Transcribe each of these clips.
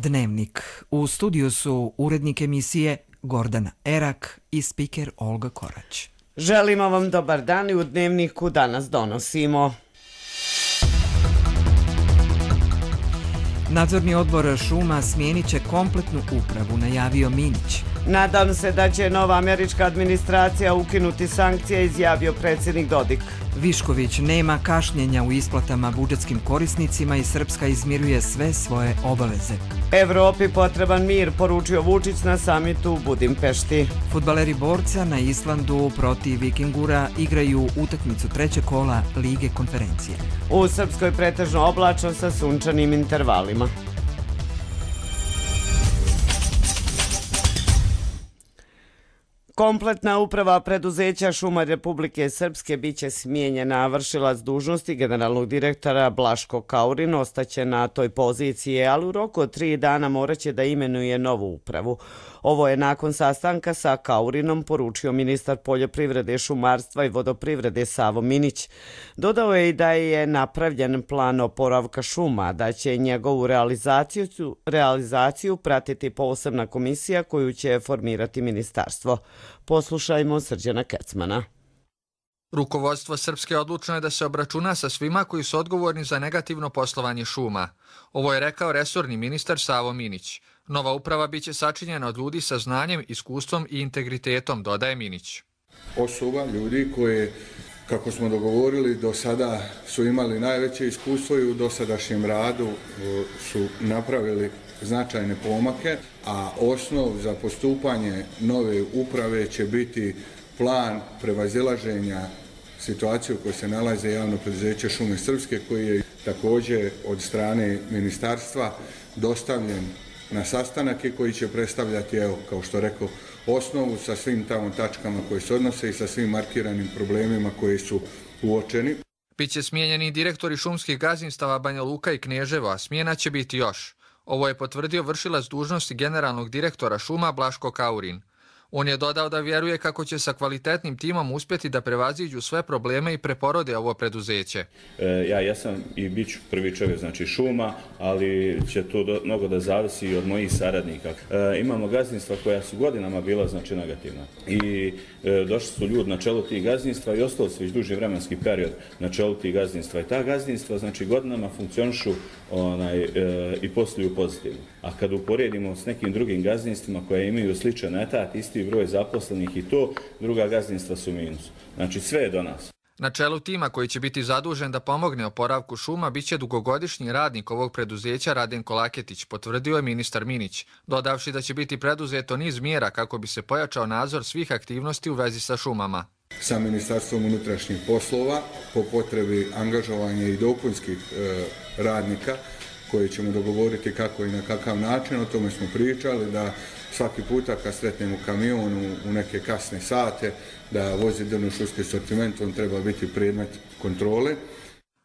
Dnevnik. U studiju su urednik emisije Gordana Erak i spiker Olga Korać. Želimo vam dobar dan i u Dnevniku danas donosimo. Nadzorni odbor šuma smijenit će kompletnu upravu, najavio Minić. Nadam se da će nova američka administracija ukinuti sankcije, izjavio predsjednik Dodik. Višković: nema kašnjenja u isplatama budžetskim korisnicima i Srpska izmiruje sve svoje obaveze. Evropi potreban mir, poručio Vučić na samitu u Budimpešti. Fudbaleri Borca na Islandu protiv Vikingura igraju utakmicu trećeg kola Lige konferencije. U Srpskoj pretežno oblačno sa sunčanim intervalima. Kompletna uprava preduzeća Šuma Republike Srpske biće smijenjena. Vršilac dužnosti generalnog direktora Blaško Kaurin ostaće na toj poziciji, ali u roku od 3 dana moraće da imenuje novu upravu. Ovo je nakon sastanka sa Kaurinom poručio ministar poljoprivrede, šumarstva i vodoprivrede Savo Minić. Dodao je i da je napravljen plan oporavka šuma, da će njegovu realizaciju pratiti posebna komisija koju će formirati ministarstvo. Poslušajmo Srđana Kecmana. Rukovodstvo Srpske odlučno je da se obračuna sa svima koji su odgovorni za negativno poslovanje šuma. Ovo je rekao resorni ministar Savo Minić. Nova uprava biće sačinjena od ljudi sa znanjem, iskustvom i integritetom, dodaje Minić. Osoba, ljudi koje, kako smo dogovorili, do sada su imali najveće iskustvo i u dosadašnjem radu su napravili značajne pomake, a osnov za postupanje nove uprave će biti plan prevazilaženja situacije u kojoj se nalaze javno preduzeće Šume Srpske, koji je također od strane ministarstva dostavljen na sastanak i koji će predstavljati, evo, kao što rekao, osnovu sa svim tamo tačkama koje se odnose i sa svim markiranim problemima koji su uočeni. Biće smijenjeni direktori šumskih gazdinstava Banja Luka i Kneževo, a smjena će biti još. Ovo je potvrdio vršilac dužnosti generalnog direktora šuma Blaško Kaurin. On je dodao da vjeruje kako će sa kvalitetnim timom uspjeti da prevaziđu sve probleme i preporode ovo preduzeće. Ja jesam i bit ću prvi čovjek, znači šuma, ali će to mnogo da zavisi i od mojih saradnika. Imamo gazdinstva koja su godinama bila znači negativna i došli su ljudi na čelo tih gazdinstva i ostali su već duži vremenski period na čelu tih gazdinstva. I ta gazdinstva znači godinama funkcionišu i posluju pozitivno. A kad uporedimo s nekim drugim gazdinstvima koje imaju sličan etat, isti broj zaposlenih i to, druga gazdinstva su minus. Znači sve je do nas. Na čelu tima koji će biti zadužen da pomogne oporavku šuma biće dugogodišnji radnik ovog preduzeća Radenko Laketić, potvrdio je ministar Minić, dodavši da će biti preduzeto niz mjera kako bi se pojačao nadzor svih aktivnosti u vezi sa šumama. Sa Ministarstvom unutrašnjih poslova po potrebi angažovanja i dopunskih radnika koje ćemo dogovoriti kako i na kakav način, o tome smo pričali, da svaki puta kad sretnemo kamion u neke kasne sate, da vozi drvno-šumski sortiment, on treba biti predmet kontrole.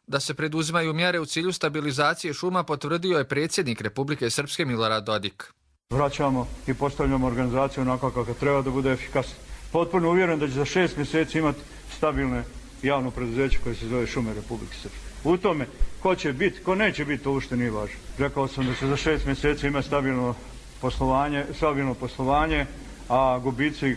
Da se preduzimaju mjere u cilju stabilizacije šuma potvrdio je predsjednik Republike Srpske Milorad Dodik. Vraćamo i postavljamo organizaciju onako kako treba da bude efikasna. Potpuno uvjeren da će za 6 mjeseci imati stabilne javno preduzeće koje se zove Šume Republike Srpske. U tome ko će biti, ko neće biti, to uopšte nije važno. Rekao sam da će za 6 mjeseci imati stabilno poslovanje, a gubici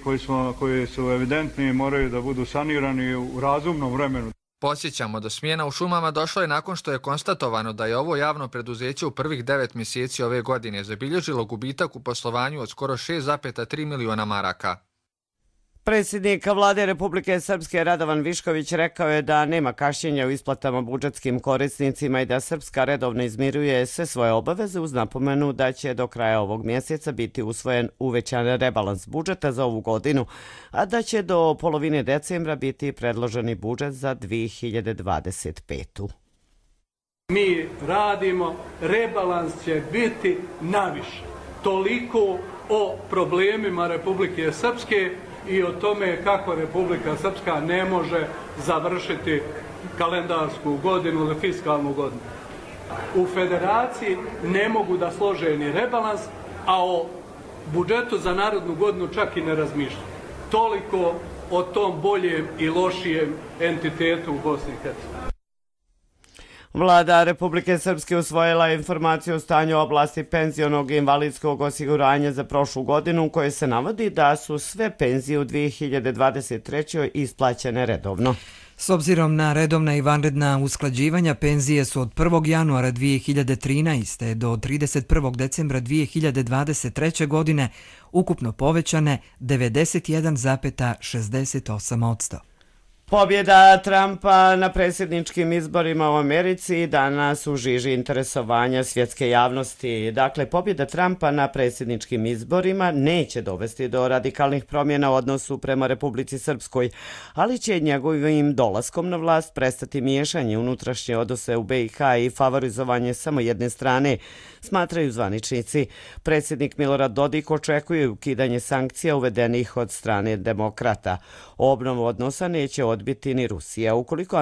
koji su evidentni moraju da budu sanirani u razumnom vremenu. Podsjećamo, do smjena u šumama došlo je nakon što je konstatovano da je ovo javno preduzeće u prvih 9 mjeseci ove godine zabilježilo gubitak u poslovanju od skoro 6,3 miliona maraka. Predsjednik vlade Republike Srpske Radovan Višković rekao je da nema kašnjenja u isplatama budžetskim korisnicima i da Srpska redovno izmiruje sve svoje obaveze, uz napomenu da će do kraja ovog mjeseca biti usvojen uvećan rebalans budžeta za ovu godinu, a da će do polovine decembra biti predloženi budžet za 2025. Mi radimo, rebalans će biti naviše. Toliko o problemima Republike Srpske i o tome kako Republika Srpska ne može završiti kalendarsku godinu ili fiskalnu godinu. U federaciji ne mogu da slože ni rebalans, a o budžetu za narodnu godinu čak i ne razmišljaju. Toliko o tom boljem i lošijem entitetu u Bosni i Hercegovini. Vlada Republike Srpske usvojila informaciju o stanju oblasti penzionog i invalidskog osiguranja za prošlu godinu, u kojoj se navodi da su sve penzije u 2023. isplaćene redovno. S obzirom na redovna i vanredna usklađivanja, penzije su od 1. januara 2013. do 31. decembra 2023. godine ukupno povećane 91,68%. Pobjeda Trumpa na predsjedničkim izborima u Americi danas u žiži interesovanja svjetske javnosti. Dakle, pobjeda Trumpa na predsjedničkim izborima neće dovesti do radikalnih promjena u odnosu prema Republici Srpskoj, ali će njegovim dolaskom na vlast prestati miješanje unutrašnje odnose u BiH i favorizovanje samo jedne strane, smatraju zvaničnici. Predsjednik Milorad Dodik očekuje ukidanje sankcija uvedenih od strane demokrata. Obnovu odnosa neće odbiti ni Rusija, ukoliko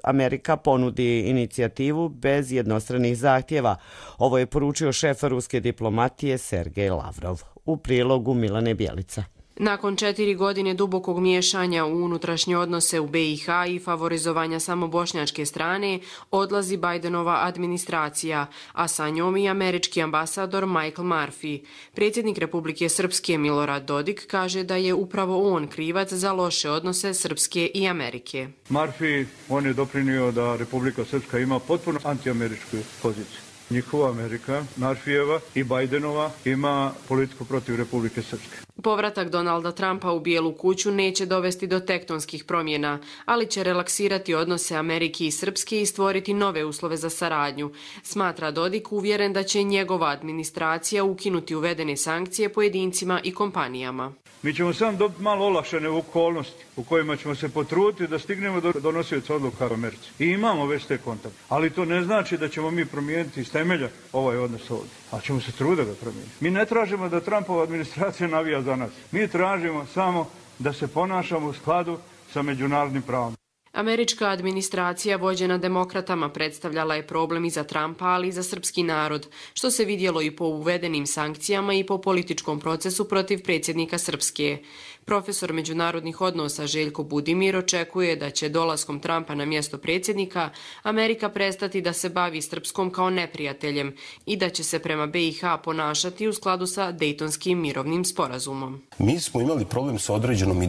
Amerika ponudi inicijativu bez jednostranih zahtjeva. Ovo je poručio šef ruske diplomatije Sergej Lavrov. U prilogu Milane Bjelica. Nakon 4 godine dubokog miješanja u unutrašnje odnose u BiH i favorizovanja samo bošnjačke strane, odlazi Bidenova administracija, a sa njom i američki ambasador Michael Murphy. Predsjednik Republike Srpske Milorad Dodik kaže da je upravo on krivac za loše odnose Srpske i Amerike. Murphy, on je doprinio da Republika Srpska ima potpuno antiameričku poziciju. Njihova Amerika, Murphyjeva i Bidenova ima politiku protiv Republike Srpske. Povratak Donalda Trumpa u Bijelu kuću neće dovesti do tektonskih promjena, ali će relaksirati odnose Amerike i Srpske i stvoriti nove uslove za saradnju. Smatra Dodik, uvjeren da će njegova administracija ukinuti uvedene sankcije pojedincima i kompanijama. Mi ćemo samo dobiti malo olakšane okolnosti u kojima ćemo se potruditi da stignemo do donosioca odluka u Americi. I imamo već te kontakte. Ali to ne znači da ćemo mi promijeniti iz temelja ovaj odnos ovdje. A ćemo se truditi da ga promijeniti. Mi ne tražimo da Trumpova administracija navija za nas. Mi tražimo samo da se ponašamo u skladu sa međunarodnim pravom. Američka administracija vođena demokratama predstavljala je problem i za Trumpa, ali i za srpski narod, što se vidjelo i po uvedenim sankcijama i po političkom procesu protiv predsjednika Srpske. Profesor međunarodnih odnosa Željko Budimir očekuje da će dolaskom Trumpa na mjesto predsjednika Amerika prestati da se bavi Srpskom kao neprijateljem i da će se prema BiH ponašati u skladu sa Dejtonskim mirovnim sporazumom. Mi smo imali problem sa određenom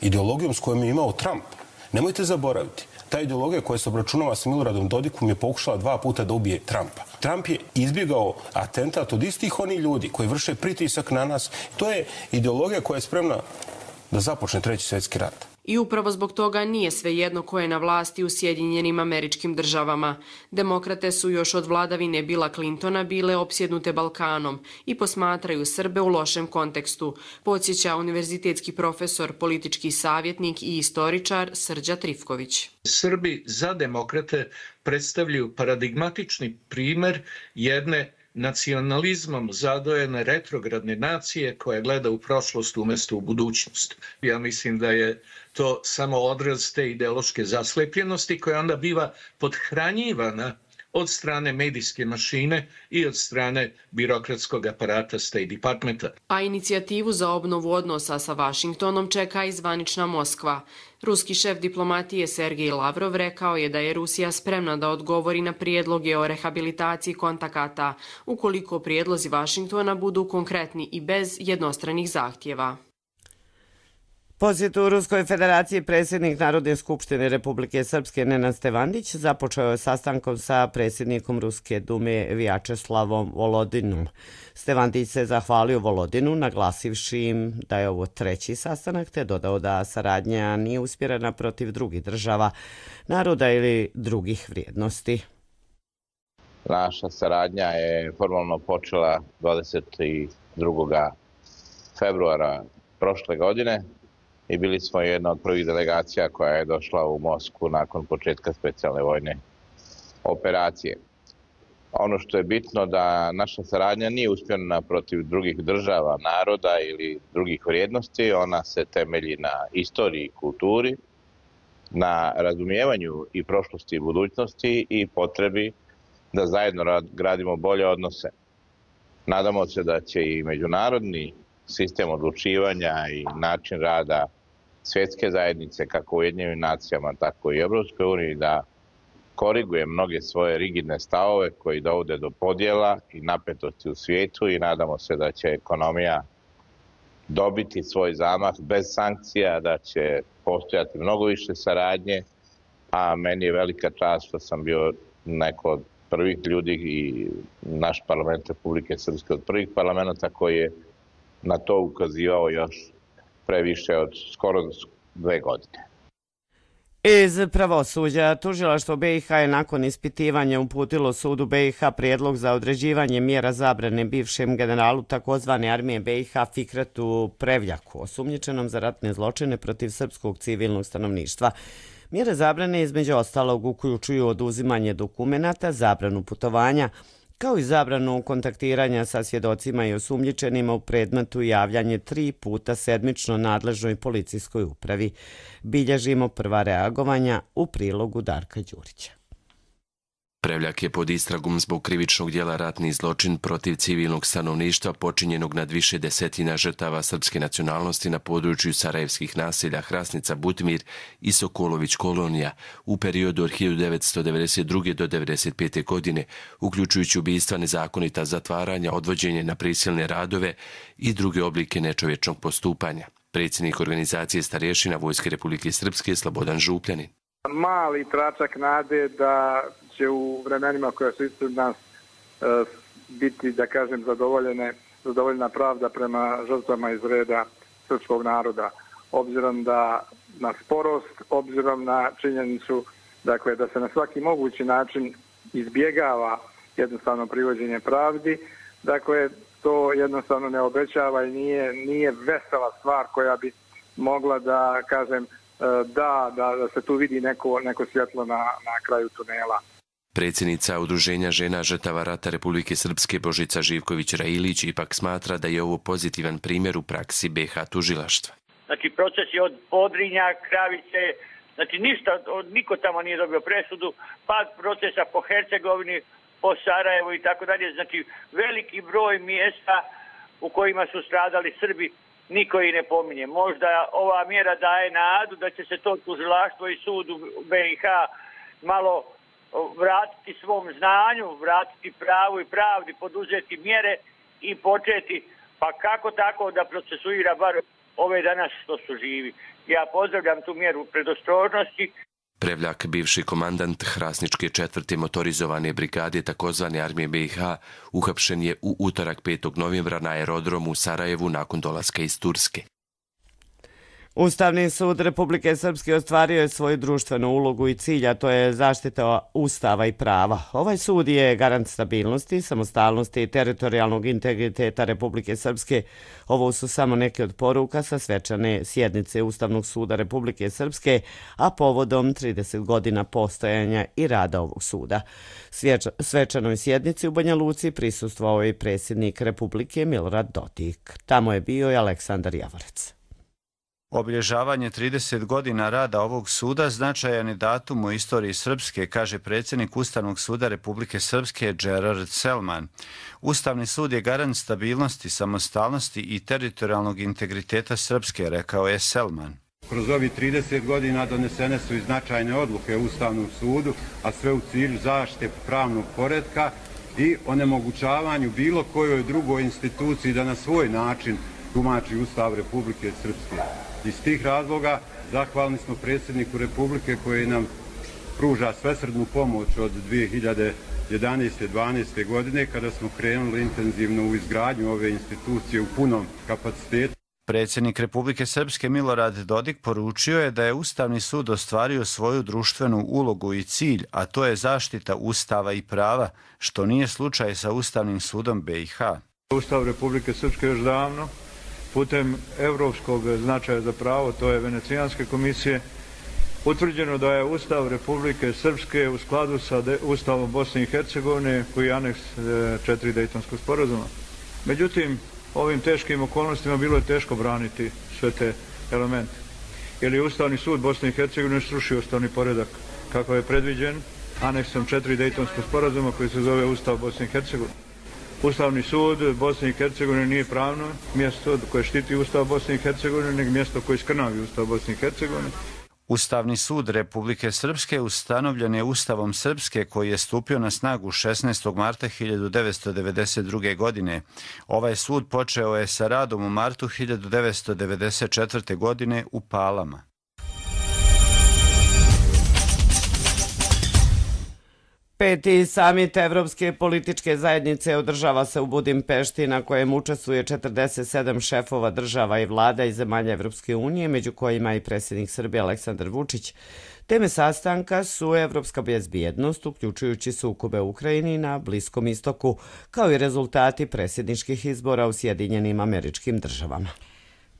ideologijom s kojom je imao Trump. Nemojte zaboraviti, ta ideologija koja se obračunava sa Miloradom Dodikom je pokušala 2 puta da ubije Trumpa. Trump je izbjegao atentat od istih onih ljudi koji vrše pritisak na nas. To je ideologija koja je spremna da započne 3. svjetski rat. I upravo zbog toga nije svejedno ko je na vlasti u Sjedinjenim Američkim Državama. Demokrate su još od vladavine Billa Clintona bile opsjednute Balkanom i posmatraju Srbe u lošem kontekstu, podsjeća univerzitetski profesor, politički savjetnik i istoričar Srđa Trifković. Srbi za demokrate predstavljaju paradigmatični primjer jedne nacionalizmom zadojene retrogradne nacije koja gleda u prošlost umjesto u budućnost. Ja mislim da je to samo odraz te ideološke zaslepljenosti koja onda biva podhranjivana od strane medijske mašine i od strane birokratskog aparata State Departmenta. A inicijativu za obnovu odnosa sa Vašingtonom čeka i zvanična Moskva. Ruski šef diplomatije Sergej Lavrov rekao je da je Rusija spremna da odgovori na prijedloge o rehabilitaciji kontakata, ukoliko prijedlozi Vašingtona budu konkretni i bez jednostranih zahtjeva. Posjet u Ruskoj federaciji predsjednik Narodne skupštine Republike Srpske Nenad Stevandić započeo je sastankom sa predsjednikom Ruske dume Vjačeslavom Volodinom. Stevandić se zahvalio Volodinu, naglasivši im da je ovo 3. sastanak, te dodao da saradnja nije usmjerena protiv drugih država, naroda ili drugih vrijednosti. Naša saradnja je formalno počela 22. februara prošle godine. I bili smo jedna od prvih delegacija koja je došla u Moskvu nakon početka specijalne vojne operacije. Ono što je bitno da naša saradnja nije usmjerena protiv drugih država, naroda ili drugih vrijednosti. Ona se temelji na istoriji i kulturi, na razumijevanju i prošlosti i budućnosti i potrebi da zajedno gradimo bolje odnose. Nadamo se da će i međunarodni sistem odlučivanja i način rada svjetske zajednice, kako u Ujedinjenim nacijama, tako i Evropskoj uniji, da iskoriguje mnoge svoje rigidne stavove koji dovode do podjela i napetosti u svijetu i nadamo se da će ekonomija dobiti svoj zamah bez sankcija, da će postojati mnogo više saradnje, a meni je velika čast što sam bio neko od prvih ljudi i naš parlament Republike Srpske od prvih parlamenta koji je na to ukazivao još previše od skoro 2 godine. Iz pravosuđa, tužilaštvo BiH je nakon ispitivanja uputilo sudu BiH prijedlog za određivanje mjera zabrane bivšem generalu takozvane armije BiH Fikretu Prevljaku, osumnjičenom za ratne zločine protiv srpskog civilnog stanovništva. Mjere zabrane između ostalog uključuju oduzimanje dokumenata, zabranu putovanja, kao i zabranu kontaktiranja sa svjedocima i osumnjičenima u predmetu i javljanje 3 puta sedmično nadležnoj policijskoj upravi. Bilježimo prva reagovanja u prilogu Darka Đurića. Prevljak je pod istragom zbog krivičnog djela ratni zločin protiv civilnog stanovništva počinjenog nad više desetina žrtava srpske nacionalnosti na području sarajevskih naselja Hrasnica, Butmir i Sokolović kolonija u periodu od 1992. do 1995. godine, uključujući ubistva, nezakonita zatvaranja, odvođenje na prisilne radove i druge oblike nečovječnog postupanja. Predsjednik organizacije starješina Vojske Republike Srpske Slobodan Župljanin. Mali tračak nade da će u vremenima koja su ispred nas biti, da kažem, zadovoljena pravda prema žrtvama iz reda srpskog naroda. Obzirom na sporost, obzirom na činjenicu dakle, da se na svaki mogući način izbjegava jednostavno privođenje pravdi, dakle, to jednostavno ne obećava i nije vesela stvar koja bi mogla da, kažem, da se tu vidi neko svjetlo na kraju tunela. Predsjednica Udruženja žena žrtava rata Republike Srpske Božica Živković-Railić ipak smatra da je ovo pozitivan primjer u praksi BiH tužilaštva. Znači proces je od Podrinja, Kravice, znači ništa, niko tamo nije dobio presudu, pad procesa po Hercegovini, po Sarajevu i tako dalje, znači veliki broj mjesta u kojima su stradali Srbi, niko ih ne pominje. Možda ova mjera daje nadu da će se to tužilaštvo i sud u BiH malo vratiti svom znanju, vratiti pravu i pravdi, poduzeti mjere i početi, pa kako tako da procesuira bar ove danas što su živi. Ja pozdravljam tu mjeru predostrožnosti. Prevljak, bivši komandant Hrasničke 4. motorizovane brigade takozvane armije BiH, uhapšen je u utorak 5. novembra na aerodromu u Sarajevu nakon dolaska iz Turske. Ustavni sud Republike Srpske ostvario je svoju društvenu ulogu i cilj, a to je zaštita ustava i prava. Ovaj sud je garant stabilnosti, samostalnosti i teritorijalnog integriteta Republike Srpske. Ovo su samo neke od poruka sa svečane sjednice Ustavnog suda Republike Srpske, a povodom 30 godina postojanja i rada ovog suda. Svečanoj sjednici u Banja Luci prisustvovao je i predsjednik Republike Milorad Dodik. Tamo je bio i Aleksandar Javorec. Obilježavanje 30 godina rada ovog suda značajan je datum u istoriji Srpske, kaže predsjednik Ustavnog suda Republike Srpske Gerard Selman. Ustavni sud je garant stabilnosti, samostalnosti i teritorijalnog integriteta Srpske, rekao je Selman. Kroz ovih 30 godina donesene su i značajne odluke u Ustavnom sudu, a sve u cilju zaštite pravnog poretka i onemogućavanju bilo kojoj drugoj instituciji da na svoj način tumači Ustav Republike Srpske. Iz tih razloga zahvalni smo predsjedniku Republike koji nam pruža svesrdnu pomoć od 2011-12. godine kada smo krenuli intenzivno u izgradnju ove institucije u punom kapacitetu. Predsjednik Republike Srpske Milorad Dodik poručio je da je Ustavni sud ostvario svoju društvenu ulogu i cilj, a to je zaštita Ustava i prava, što nije slučaj sa Ustavnim sudom BiH. Ustav Republike Srpske još davno putem evropskog značaja za pravo, to je Venecijanske komisije, utvrđeno da je Ustav Republike Srpske u skladu sa Ustavom Bosne i Hercegovine koji je aneks 4 Dejtonskog sporazuma. Međutim, ovim teškim okolnostima bilo je teško braniti sve te elemente. Jer je Ustavni sud Bosne i Hercegovine srušio ustavni poredak kako je predviđen aneksom 4 Dejtonskog sporazuma koji se zove Ustav Bosne i Hercegovine. Ustavni sud Bosne i Hercegovine nije pravno mjesto koje štiti Ustav Bosne i Hercegovine, nego mjesto koje skrnavi Ustav Bosne i Hercegovine. Ustavni sud Republike Srpske ustanovljen je Ustavom Srpske koji je stupio na snagu 16. marta 1992. godine. Ovaj sud počeo je sa radom u martu 1994. godine u Palama. Peti samit Evropske političke zajednice održava se u Budimpešti, na kojem učestvuje 47 šefova država i vlada iz zemalja Evropske unije, među kojima i predsjednik Srbije Aleksandar Vučić. Teme sastanka su evropska bezbjednost, uključujući sukobe u Ukrajini na Bliskom istoku, kao i rezultati predsjedničkih izbora u Sjedinjenim Američkim Državama.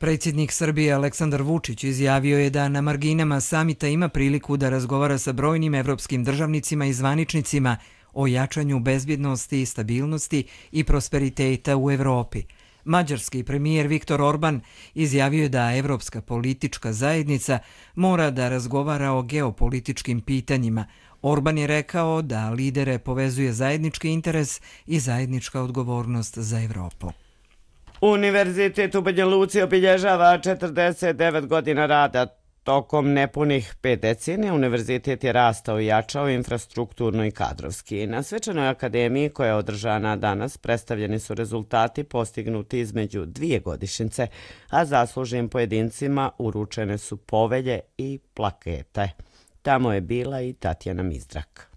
Predsjednik Srbije Aleksandar Vučić izjavio je da na marginama samita ima priliku da razgovara sa brojnim evropskim državnicima i zvaničnicima o jačanju bezbjednosti, stabilnosti i prosperiteta u Evropi. Mađarski premijer Viktor Orban izjavio je da Evropska politička zajednica mora da razgovara o geopolitičkim pitanjima. Orban je rekao da lidere povezuje zajednički interes i zajednička odgovornost za Evropu. Univerzitet u Banja Luci obilježava 49 godina rada. Tokom nepunih 5 decenija univerzitet je rastao i jačao infrastrukturno i kadrovski. Na svečanoj akademiji koja je održana danas predstavljeni su rezultati postignuti između 2 godišnjice, a zaslužnim pojedincima uručene su povelje i plakete. Tamo je bila i Tatjana Mizdrak.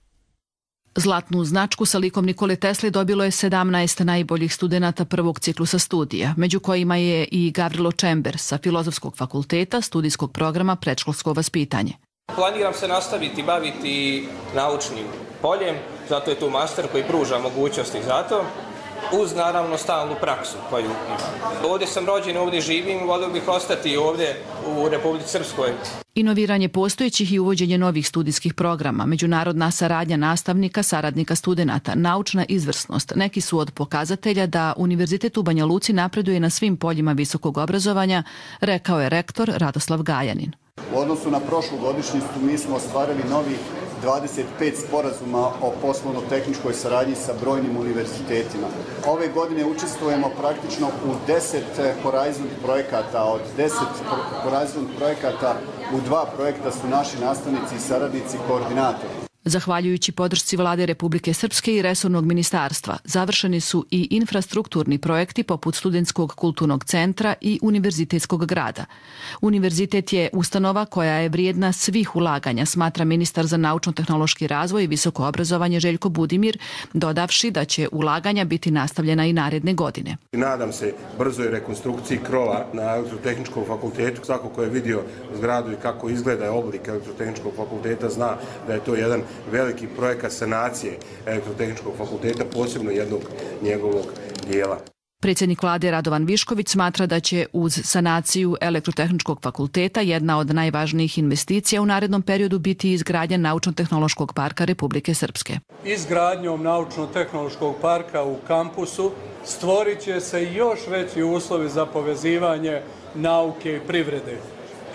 Zlatnu značku sa likom Nikole Tesle dobilo je 17 najboljih studenata prvog ciklusa studija, među kojima je i Gavrilo Čember sa Filozofskog fakulteta studijskog programa predškolsko vaspitanje. Planiram se nastaviti baviti naučnim poljem, zato je tu master koji pruža mogućnosti za to, uz naravno stalnu praksu koju imam. Ovdje sam rođen, ovdje živim, volio bih ostati ovdje u Republici Srpskoj. Inoviranje postojećih i uvođenje novih studijskih programa, međunarodna saradnja nastavnika, saradnika studenata, naučna izvrsnost, neki su od pokazatelja da Univerzitet u Banja Luci napreduje na svim poljima visokog obrazovanja, rekao je rektor Radoslav Gajanin. U odnosu na prošlu godišnjicu mi smo ostvarili novih 25 sporazuma o poslovno-tehničkoj saradnji sa brojnim univerzitetima. Ove godine učestvujemo praktično u 10 Horizon projekata. Od 10 Horizon projekata u 2 projekta su naši nastavnici i saradnici koordinatori. Zahvaljujući podršci Vlade Republike Srpske i resornog ministarstva, završeni su i infrastrukturni projekti poput Studentskog kulturnog centra i Univerzitetskog grada. Univerzitet je ustanova koja je vrijedna svih ulaganja, smatra ministar za naučno-tehnološki razvoj i visoko obrazovanje Željko Budimir, dodavši da će ulaganja biti nastavljena i naredne godine. Nadam se brzoj rekonstrukciji krova na Elektrotehničkom fakultetu. Svako ko je vidio zgradu i kako izgleda oblik Elektrotehničkog fakulteta zna da je to jedan veliki projekat sanacije Elektrotehničkog fakulteta, posebno jednog njegovog dijela. Predsjednik vlade Radovan Višković smatra da će uz sanaciju Elektrotehničkog fakulteta jedna od najvažnijih investicija u narednom periodu biti izgradnja Naučno-tehnološkog parka Republike Srpske. Izgradnjom Naučno-tehnološkog parka u kampusu stvorit će se još veći uslovi za povezivanje nauke i privrede.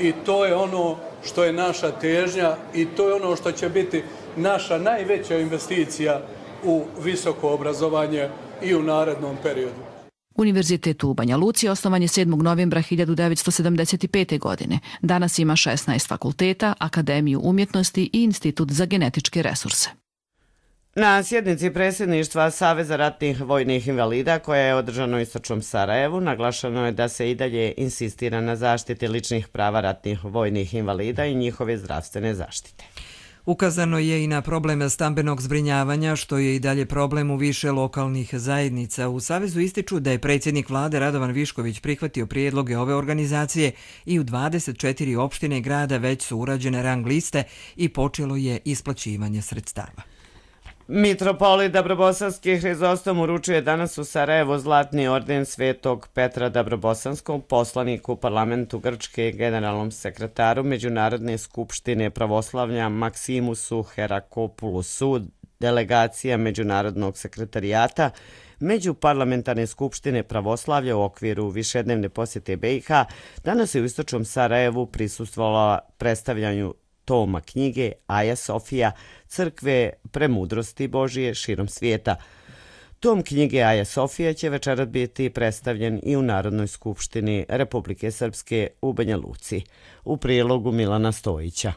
I to je ono što je naša težnja i to je ono što će biti naša najveća investicija u visoko obrazovanje i u narednom periodu. Univerzitet u Banja Luci osnovan je 7. novembra 1975. godine. Danas ima 16 fakulteta, Akademiju umjetnosti i Institut za genetičke resurse. Na sjednici predsjedništva Saveza ratnih vojnih invalida koja je održana u istočnom Sarajevu, naglašeno je da se i dalje insistira na zaštiti ličnih prava ratnih vojnih invalida i njihove zdravstvene zaštite. Ukazano je i na problem stambenog zbrinjavanja, što je i dalje problem u više lokalnih zajednica. U Savezu ističu da je predsjednik vlade Radovan Višković prihvatio prijedloge ove organizacije i u 24 opštine grada već su urađene rang liste i počelo je isplaćivanje sredstava. Mitropolit Dabrobosanski Hrizostom uručuje danas u Sarajevu Zlatni orden Svetog Petra Dabrobosanskog, poslaniku u parlamentu Grčke i generalnom sekretaru Međunarodne skupštine pravoslavlja Maksimusu Herakopulusu, delegacija Međunarodnog sekretarijata Međuparlamentarne skupštine pravoslavlja u okviru višednevne posjete BiH danas je u istočnom Sarajevu prisustvovala predstavljanju toma knjige Aja Sofija, crkve premudrosti Božije širom svijeta. Tom knjige Aja Sofija će večeras biti predstavljen i u Narodnoj skupštini Republike Srpske u Banja Luci. U prilogu Milana Stojića.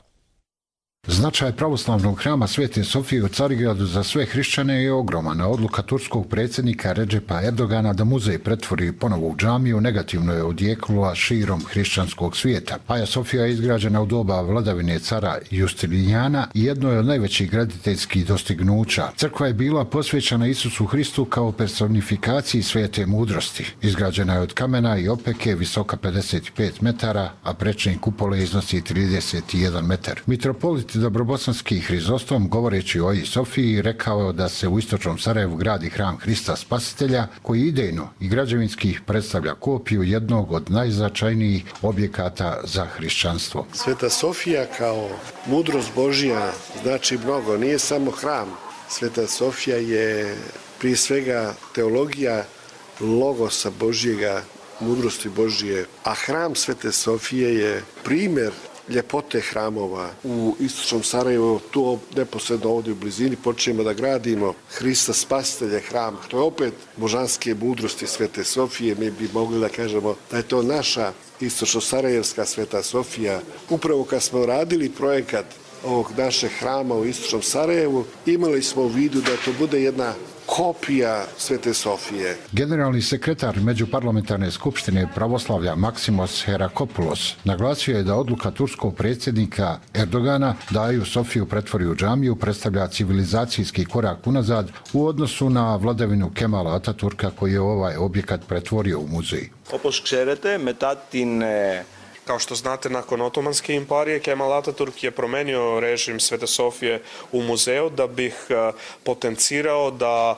Značaj pravoslavnog hrama Svete Sofije u Carigradu za sve hrišćane je ogroman. Odluka turskog predsjednika Redžepa Erdogana da muzej pretvori ponovo u džamiju negativno je odjeknula širom hrišćanskog svijeta. Aja Sofija je izgrađena u doba vladavine cara Justilijana i jedno je od najvećih graditeljskih dostignuća. Crkva je bila posvećena Isusu Hristu kao personifikaciji svete mudrosti. Izgrađena je od kamena i opeke, visoka 55 metara, a prečni kupole iznosi 31 metar. Mitropolit Dobrobosanski Hrizostom, govoreći o Aji Sofiji, rekao da se u istočnom Sarajevu gradi hram Hrista Spasitelja, koji idejno i građevinski predstavlja kopiju jednog od najznačajnijih objekata za hrišćanstvo. Sveta Sofija kao mudrost Božja znači mnogo, nije samo hram. Sveta Sofija je prije svega teologija logosa Božjega, mudrosti Božje, a hram Svete Sofije je primjer ljepote hramova. U istočnom Sarajevu, tu neposredno ovdje u blizini, počnemo da gradimo Hrista Spasitelja hram. To je opet božanske mudrosti Svete Sofije. Mi bi mogli da kažemo da je to naša istočno-sarajevska Sveta Sofija. Upravo kad smo radili projekat ovog našeg hrama u istočnom Sarajevu, imali smo u vidu da to bude jedna kopija Svete Sofije. Generalni sekretar Međuparlamentarne skupštine pravoslavlja Maksimos Herakopoulos naglasio je da odluka turskog predsjednika Erdogana da Aju Sofiju pretvori u džamiju predstavlja civilizacijski korak unazad u odnosu na vladavinu Kemala Ataturka koji je ovaj objekat pretvorio u muzej. Όπως ξέρετε, μετά την Kao što znate, nakon Otomanske imperije, Kemal Ataturk je promenio režim Svete Sofije u muzeju da bih potencirao da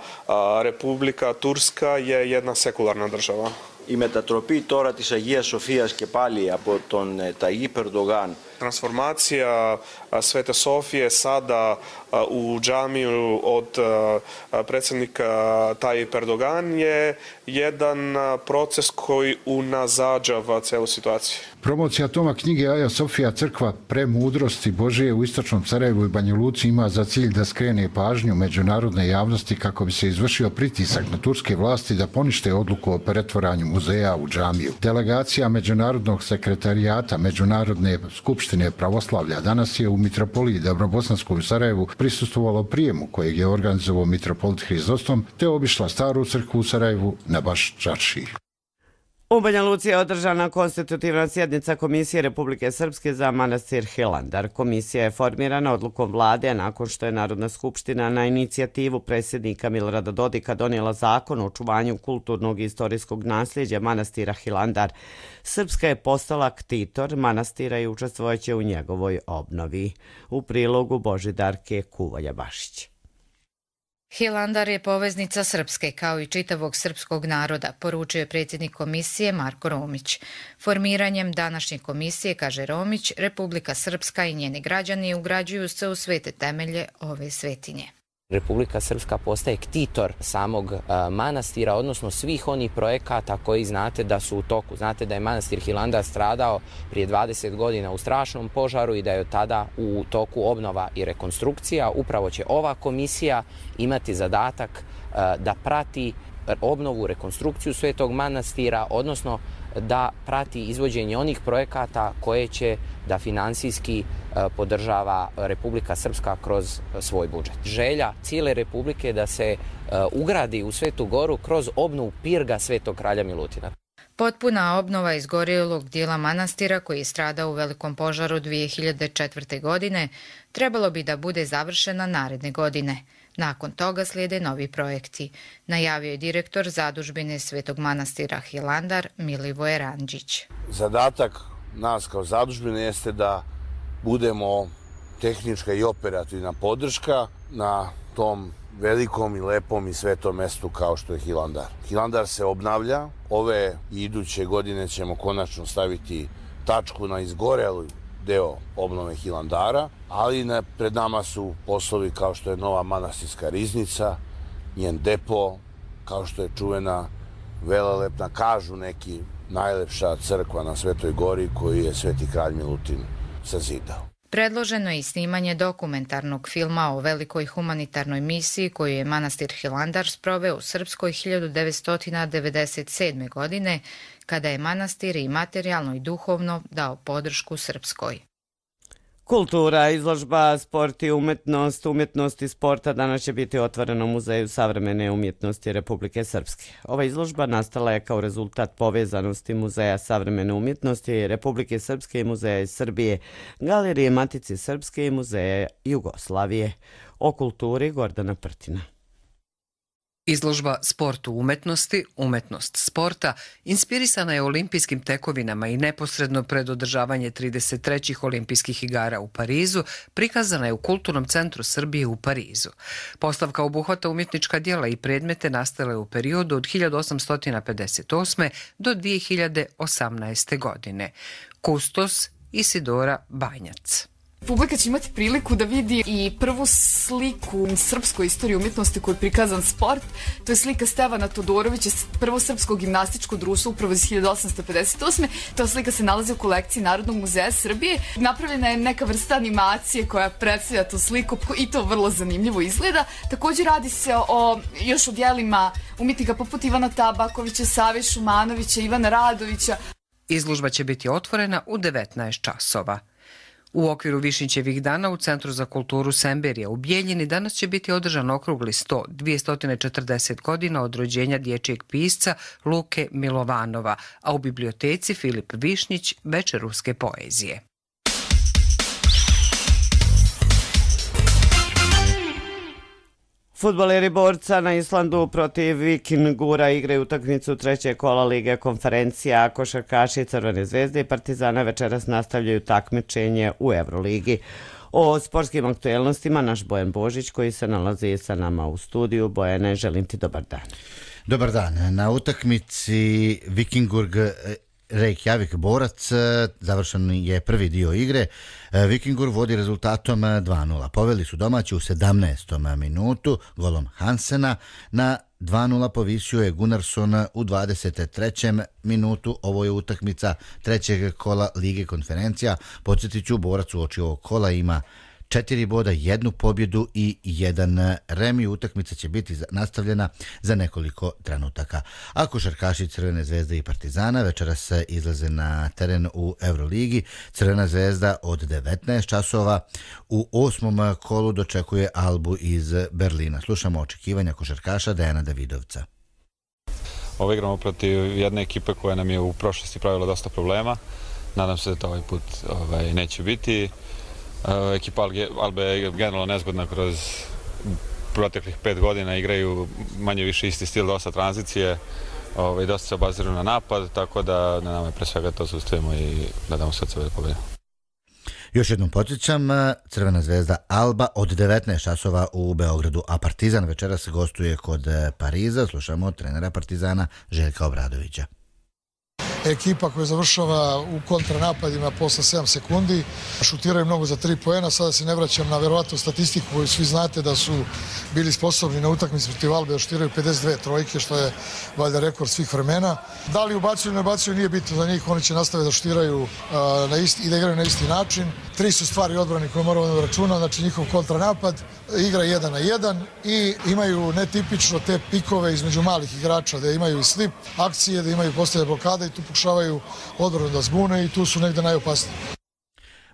Republika Turska je jedna sekularna država. Η μετατροπή τώρα της Αγίας Σοφίας και πάλι από τον Ταγίπ Ερντογάν. Transformacija Svete Sofije sada u džamiju od predsjednika Tayyip Erdogan je jedan proces koji unazađava celu situaciju. Promocija toma knjige Aja Sofija, crkva premudrosti Božije u istočnom Sarajevu i Banja Luci ima za cilj da skrene pažnju međunarodne javnosti kako bi se izvršio pritisak na turske vlasti da ponište odluku o pretvaranju muzeja u džamiju. Delegacija Međunarodnog sekretarijata Međunarodne skupštine pravoslavlja danas je u Mitropoliji Dobrobosanskoj u Sarajevu prisustvovalo prijemu kojeg je organizovao mitropolit Hrizostom te obišla staru crkvu u Sarajevu na Baš Čaršiji. U Banja Luci je održana konstitutivna sjednica Komisije Republike Srpske za manastir Hilandar. Komisija je formirana odlukom vlade nakon što je Narodna skupština na inicijativu predsjednika Milorada Dodika donijela zakon o očuvanju kulturnog i istorijskog nasljeđa manastira Hilandar. Srpska je postala ktitor manastira i učestvojeće u njegovoj obnovi. U prilogu Božidarke Kuvalja-Bašić. Hilandar je poveznica Srpske kao i čitavog srpskog naroda, poručio je predsjednik komisije Marko Romić. Formiranjem današnje komisije, kaže Romić, Republika Srpska i njeni građani ugrađuju se u svete temelje ove svetinje. Republika Srpska postaje ktitor samog manastira, odnosno svih onih projekata koji znate da su u toku. Znate da je manastir Hilandar stradao prije 20 godina u strašnom požaru i da je od tada u toku obnova i rekonstrukcija. Upravo će ova komisija imati zadatak da prati obnovu, rekonstrukciju Svetog manastira, odnosno da prati izvođenje onih projekata koje će da finansijski podržava Republika Srpska kroz svoj budžet. Želja cijele Republike je da se ugradi u Svetu Goru kroz obnovu pirga Svetog kralja Milutina. Potpuna obnova izgorjelog dijela manastira koji je stradao u velikom požaru 2004. godine trebalo bi da bude završena naredne godine. Nakon toga slijede novi projekti, najavio je direktor zadužbine Svetog manastira Hilandar Milivoje Randžić. Zadatak nas kao zadužbine jeste da budemo tehnička i operativna podrška na tom velikom i lepom i svetom mestu kao što je Hilandar. Hilandar se obnavlja, ove i iduće godine ćemo konačno staviti tačku na izgorelu deo obnove Hilandara, ali pred nama su poslovi kao što je nova manastirska riznica, njen depo, kao što je čuvena velelepna, kažu neki, najlepša crkva na Svetoj Gori koju je Sveti kralj Milutin sazidao. Predloženo je i snimanje dokumentarnog filma o velikoj humanitarnoj misiji koju je manastir Hilandar sproveo u Srpskoj 1997. godine, kada je manastir i materijalno i duhovno dao podršku Srpskoj. Kultura, izložba, sport i umetnost. Umjetnost i sporta danas će biti otvorena u Muzeju savremene umjetnosti Republike Srpske. Ova izložba nastala je kao rezultat povezanosti Muzeja savremene umjetnosti Republike Srpske i Muzeja iz Srbije, Galerije Matice Srpske i Muzeja Jugoslavije. O kulturi Gordana Prtina. Izložba Sport u umetnosti, umetnost sporta, inspirisana je olimpijskim tekovinama i neposredno pred održavanje 33. olimpijskih igara u Parizu, prikazana je u Kulturnom centru Srbije u Parizu. Postavka obuhvata umjetnička djela i predmete nastale u periodu od 1858. do 2018. godine. Kustos Isidora Banjac. Publika će imati priliku da vidi i prvu sliku srpskoj istoriji umjetnosti koju je prikazan sport. To je slika Stevana Todorovića, prvo srpsko gimnastičko društvo upravo iz 1858. Ta slika se nalazi u kolekciji Narodnog muzeja Srbije. Napravljena je neka vrsta animacije koja predstavlja tu sliku i to vrlo zanimljivo izgleda. Također radi se još o djelima umjetnika poput Ivana Tabakovića, Save Šumanovića, Ivana Radovića. Izložba će biti otvorena u 19 časova. U okviru Višnjićevih dana u Centru za kulturu Semberija u Bijeljini danas će biti održan okrugli sto 240 godina od rođenja dječjeg pisca Luke Milovanova, a u biblioteci Filip Višnjić večer ruske poezije. Fudbaleri Borca na Islandu protiv Vikingura igraju utakmicu trećeg kola Lige konferencija. Košarkaši Crvene zvezde i Partizana večeras nastavljaju takmičenje u Euroligi. O sportskim aktuelnostima naš Bojan Božić koji se nalazi sa nama u studiju. Bojane, želim ti dobar dan. Dobar dan. Na utakmici Vikingurg Reykjavik Borac završen je prvi dio igre. Vikingur vodi rezultatom 2:0. Poveli su domaći u 17. minutu golom Hansena. Na 2:0 povisio je Gunnarsson u 23. minutu. Ovo je utakmica trećeg kola Lige konferencija. Podsjetit ću, Borac uoči ovog kola ima 4 boda, 1 pobjedu i 1 remi. Utakmica će biti nastavljena za nekoliko trenutaka. A košarkaši Crvene zvezde i Partizana večeras izlaze na teren u Euroligi. Crvena zvezda od 19 časova u 8. kolu dočekuje Albu iz Berlina. Slušamo očekivanja košarkaša Dejana Davidovca. Ovo igramo protiv jedne ekipe koja nam je u prošlosti pravila dosta problema. Nadam se da to ovaj put neće biti. Ekipa Albe je generalno nezgodna kroz proteklih 5 godina, igraju manje više isti stil, dosta tranzicije, dosta se obaziraju na napad, tako da na nama je pre svega to zaustavimo i da damo sve od sebe da pobedimo. Još jednom podsjećam, Crvena zvezda Alba od 19 časova u Beogradu, a Partizan večeras gostuje kod Pariza. Slušamo trenera Partizana Željka Obradovića. Ekipa koja završava u kontranapadima posle 7 sekundi, šutiraju mnogo za 3 poena. Sada se ne vraćam na verovatnu statistiku koju svi znate da su bili sposobni na utakmici protiv Albe da šutiraju 52 trojke, što je valjda rekord svih vremena. Da li ubacuju ili ne ubacuju nije bitno za njih, oni će nastaviti da šutiraju i da igraju na isti način. 3 su stvari odbrani koje moramo da računamo, znači njihov kontranapad, igra 1 na 1 i imaju netipično te pikove između malih igrača, da imaju i slip akcije, da imaju postavljanje blokada i tu pokušavaju odbranu da zbune i tu su negde najopasniji.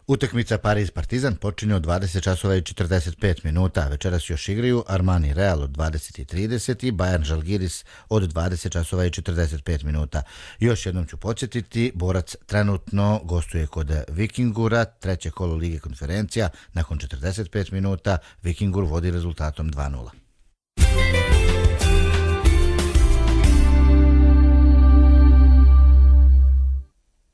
Utakmica Pariz-Partizan počinje od 20 časova i 45 minuta. Večeras još igraju Armani Real od 20:30 i Bayern Žalgiris od 20 časova i 45 minuta. Još jednom ću podsjetiti, Borac trenutno gostuje kod Vikingura, treće kolo Lige konferencija. Nakon 45 minuta Vikingur vodi rezultatom 2:0.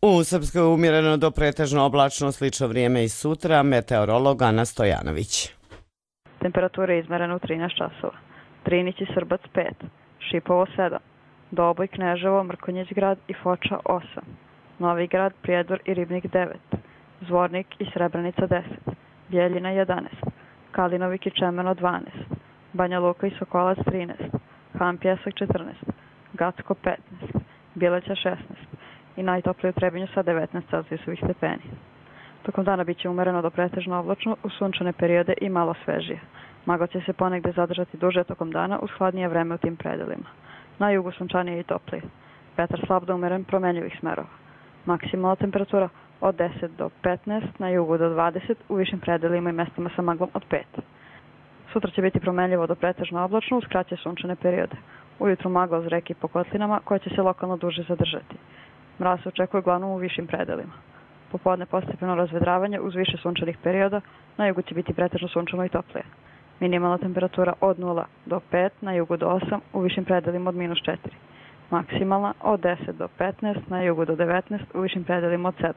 U Srpskoj umjereno do pretežno oblačno, slično vrijeme i sutra. Meteorolog Ana Stojanović. Temperatura je izmerena u 13 časova. Drinić i Srbac 5, Šipovo 7, Doboj, Kneževo, Mrkonjić grad i Foča 8, Novi grad, Prijedor i Ribnik 9, Zvornik i Srebrenica 10, Bijeljina 11, Kalinovik i Čemeno 12, Banja Luka i Sokolac 13, Han Pjesak 14, Gacko 15, Bileća 16, i najtoplije u Trebinju sa 19 celzijusovih stepeni. Tokom dana biće umereno do pretežno oblačno u sunčane periode i malo svežije. Magla će se ponegde zadržati duže tokom dana uz hladnije vreme u tim predelima. Na jugu sunčanije i toplije. Vetar slab do umeren promenljivih smerova. Maksimalna temperatura od 10 do 15, na jugu do 20, u višim predelima i mestama sa maglom od 5. Sutra će biti promenljivo do pretežno oblačno uz kraće sunčane periode. Ujutru magla uz reke i po kotlinama koja će se lokalno duže zadržati. Mraz se očekuje uglavnom u višim predelima. Popodne postepeno razvedravanje uz više sunčanih perioda, na jugu će biti pretežno sunčano i toplije. Minimalna temperatura od 0 do 5, na jugu do 8, u višim predelima od -4. Maksimalna od 10 do 15, na jugu do 19, u višim predelima od 7.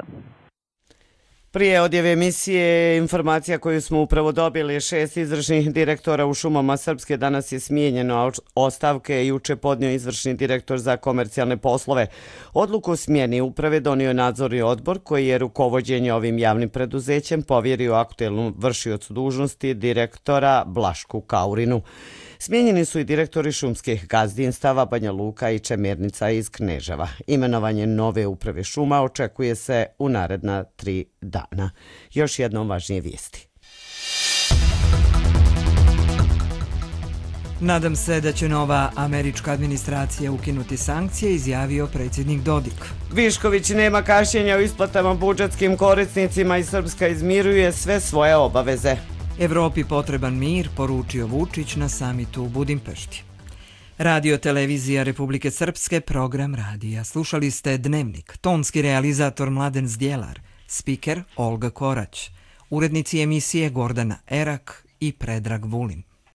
Prije odjave emisije informacija koju smo upravo dobili, 6 izvršnih direktora u šumama Srpske danas je smijenjeno, a ostavke je juče podnio izvršni direktor za komercijalne poslove. Odluku o smjeni uprave donio je nadzorni odbor koji je rukovođenje ovim javnim preduzećem povjerio aktuelnom vršiocu dužnosti direktora Blašku Kaurinu. Smijenjeni su i direktori šumskih gazdinstava Banja Luka i Čemernica iz Kneževa. Imenovanje nove uprave šuma očekuje se u naredna 3 dana. Još jednom važnije vijesti. Nadam se da će nova američka administracija ukinuti sankcije, izjavio predsjednik Dodik. Višković nema kašnjenja u isplatama budžetskim korisnicima i Srpska izmiruje sve svoje obaveze. Evropi potreban mir, poručio Vučić na samitu u Budimpešti. Radio televizija Republike Srpske, program radija. Slušali ste Dnevnik, tonski realizator Mladen Zdjelar, spiker Olga Korać, urednici emisije Gordana Erak i Predrag Vulin.